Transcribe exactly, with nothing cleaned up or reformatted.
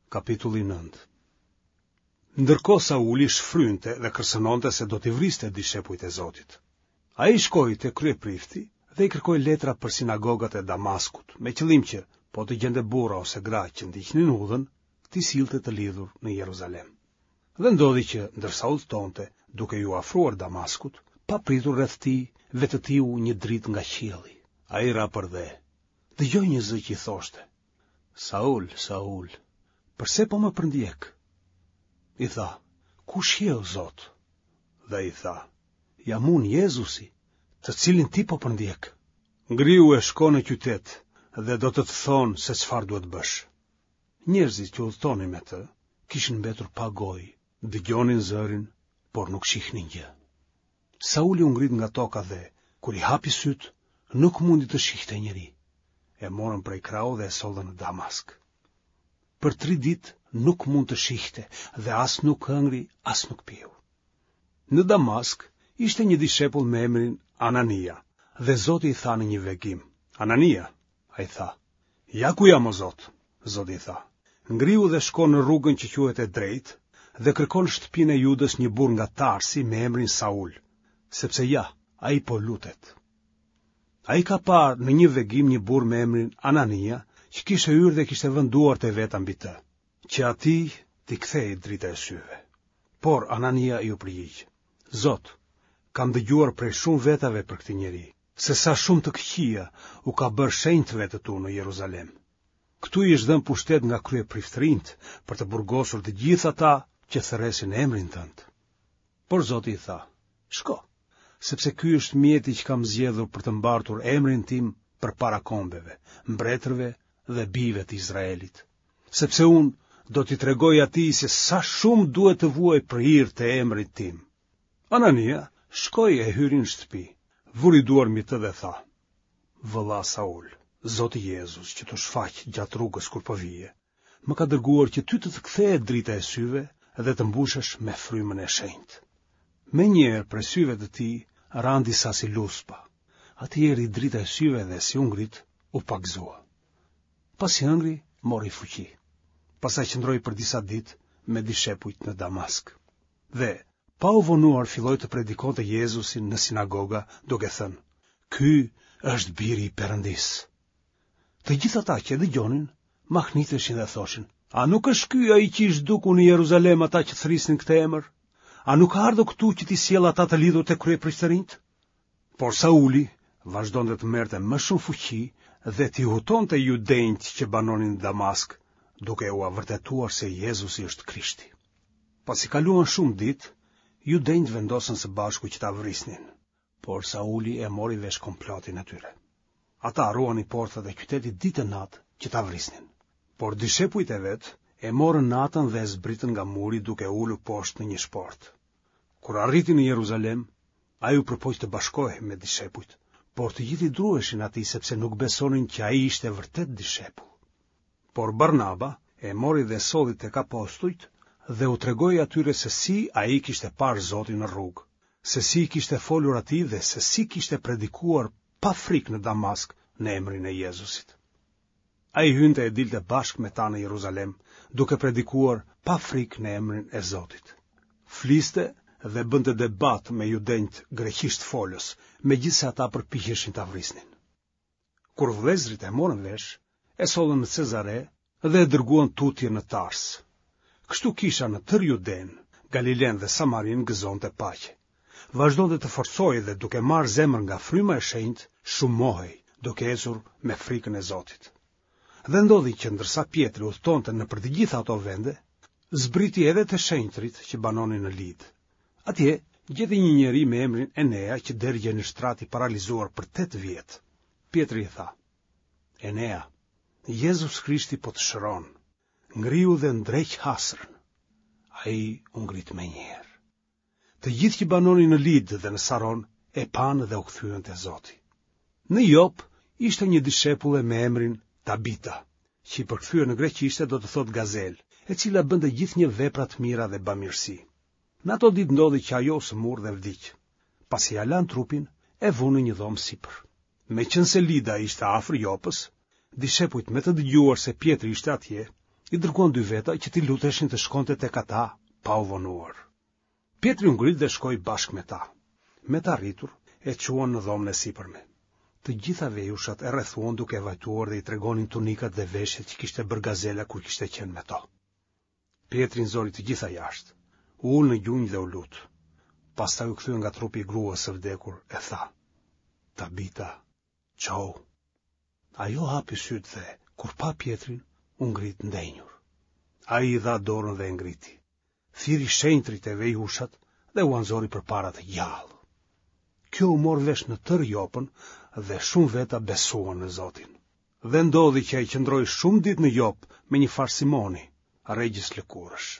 Kapitulli nëntë. Ndërkohë Sauli shfrynte dhe kërcënonte se do t'i vriste dishepujt e Zotit. Ai shkoi te kryeprifti dhe i kërkoi letra për sinagogat e Damaskut, me qëllim që, po të gjente burra ose gra që ndiqnin udhën, t'i sillte të lidhur në Jeruzalem. Dhe ndodhi që, ndërsa udhëtonte, duke iu afruar Damaskut, papritur rreth tij vetëtiu një dritë nga qielli. Ai ra përdhe. Dëgjoi një zë që i thoshte: Saul, Saul, përse po më përndjek? I tha, kush je o Zot? Dhe ai tha, jam unë Jezusi, të cilin ti po përndjek. Ngrihu e shko në qytet dhe do të të thonë se çfarë duhet bësh. Njerëzit që udhëtonin me të kishin mbetur pa gojë, dëgjonin zërin, por nuk shihnin gjë. Sauli u ngrit nga toka dhe, kur i hapi sytë, nuk mundi të shihte njeri. E morën prej krahu dhe e sollën në Damask. Për tri ditë nuk mund të shihte dhe as nuk hëngri, as nuk piu. Në Damask ishte një dishepull me emrin Anania dhe Zoti i tha në një vegim: Anania, ai tha, ja ku jam o Zot. Zoti i tha, ngrihu dhe shko në rrugën që quhet e drejtë dhe kërko në shtëpinë e Judës një burrë nga Tarsi me emrin Saul, sepse ja, ai po lutet. Ai ka parë në një vegim një burrë me emrin Anania, që kishte hyrë dhe kishte vënë duart e veta mbi të, që atij t'i kthehej drita e syve. Por Anania iu përgjigj: Zot, kam dëgjuar prej shumë vetave për këtë njeri, se sa shumë të këqija u ka bërë shenjtëve të tu në Jeruzalem. Këtu i është dhënë pushtet nga kryepriftërinjtë për të burgosur të gjithë ata që thërresin emrin tënd. Por Zoti i tha: Shko, sepse ky është mjeti që kam zgjedhur për të mbartur emrin tim përpara kombeve, mbretërve dhe bijve të Izraelit. Sepse unë do t'i tregoj atij se sa shumë duhet të vuajë për hir të emrit tim. Anania shkoi e hyri në shtëpi, vuri duar mbi të dhe tha: Vëlla Saul, Zoti Jezus që t'u shfaq gjatë rrugës kur po vije, më ka dërguar që ty të të kthehet drita e syve dhe të mbushesh me frymën e shenjtë. Menjëherë prej syve të tij ranë disa si luspa. Atij i erdhi drita e syve dhe si u ngrit, u pagëzua. Pasi hëngri, mori fuqi. Pastaj qëndroi për disa ditë me dishepujt në Damask. Dhe, pa u vonuar, filloi të predikonte Jezusin në sinagoga, duke thënë: Ky është biri i Perëndisë. Të gjithë ata që e dëgjonin, mahniteshin dhe thoshin: A nuk është ky ai që i zhduku në Jeruzalem ata që thërrisnin këtë emër? A nuk ka ardhur këtu që t'i sjellë ata të lidhur te kryepriftërinjtë? Por Sauli vazhdonte të merrte më shumë fuqi dhe t'i hutonte judenjtë që banonin në Damask, duke ua vërtetuar se Jezusi është Krishti. Pasi kaluan shumë ditë, judenjtë vendosën së bashku që ta vrisnin, por Sauli e mori vesh komplotin e tyre. Ata ruanin portat e qytetit ditë e natë që ta vrisnin. Por dishepujt e vet e morën natën dhe e zbritën nga muri duke e ulur poshtë në një shportë. Kur arriti në Jeruzalem, ai u përpoq të bashkohej me dishepujt, por të gjithë i druheshin atij sepse nuk besonin që ai ishte vërtet dishepull. Por Barnaba e mori dhe solli tek apostujt dhe u tregoi atyre se si ai kishte parë Zotin në rrugë, se si i kishte folur atij dhe se si kishte predikuar pa frikë në Damask në emrin e Jezusit. Ai hynte e dilte bashkë me ta në Jeruzalem, duke predikuar pa frikë në emrin e Zotit. Fliste dhe bënte debat me judenjtë greqisht folës, megjithëse ata përpiqeshin ta vrisnin. Kur vëllezërit e morën vesh, e sollën në Cezare dhe e dërguan tutje në Tars. Kështu kisha në tërë Judenë, Galilenë dhe Samarinë gëzonte paqe. Vazhdonte të forcohej dhe duke marrë zemër nga fryma e shenjtë, shumohej, duke ecur me frikën e Zotit. Dhe ndodhi që ndërsa Pjetri udhëtonte nëpër të gjitha ato vende, zbriti edhe te shenjtërit që banonin në Lidë. Atje gjeti një njeri me emrin Enea që dergjej në shtrat i paralizuar për tetë vjet. Pjetri i tha: Enea, Jezus Krishti po të shëron. Ngrihu dhe ndreq hasrën. Ai u ngrit menjëherë. Të gjithë që banonin në Lidë dhe në Saron e panë dhe u kthyen te Zoti. Në Jop ishte një dishepulle me emrin Tabita, që i përkthyer në greqishte do të thotë gazelë, e cila bënte gjithnjë vepra të mira dhe bamirësi. Në ato ditë ndodhi që ajo u sëmur dhe vdiq. Pasi ia lanë trupin, e vunë në një dhomë sipër. Meqenëse Lida ishte afër Jopës, dishepujt me të dëgjuar se Pjetri ishte atje, I dërguan dy veta që t'i luteshin të shkonte tek ata pa u vonuar. Pjetri u ngrit dhe shkoi bashkë me ta. Me të arritur, e çuan në dhomën e sipërme. Të gjitha vejushat e rrethuan duke vajtuar dhe i tregonin tunikat dhe veshjet që kishte bërë Gazela kur kishte qenë me to. Pjetri i nxori të gjitha jashtë, u ul në gjunjë dhe u lut. Pastaj u kthye nga trupi i gruas së vdekur e tha: Tabita, çohu. Ajo hapi sytë dhe, kur pa Pjetrin, u ngrit ndenjur. Ai i dha dorën dhe e ngriti. Thirri shenjtërit e vejushat dhe ua nxori përpara të gjallë. Kjo u mor vesh në tërë Jopën dhe shumë veta besuan në Zotin. Dhe ndodhi që ai qëndroi shumë ditë në Jopë me një farë Simoni, regjës lëkurësh.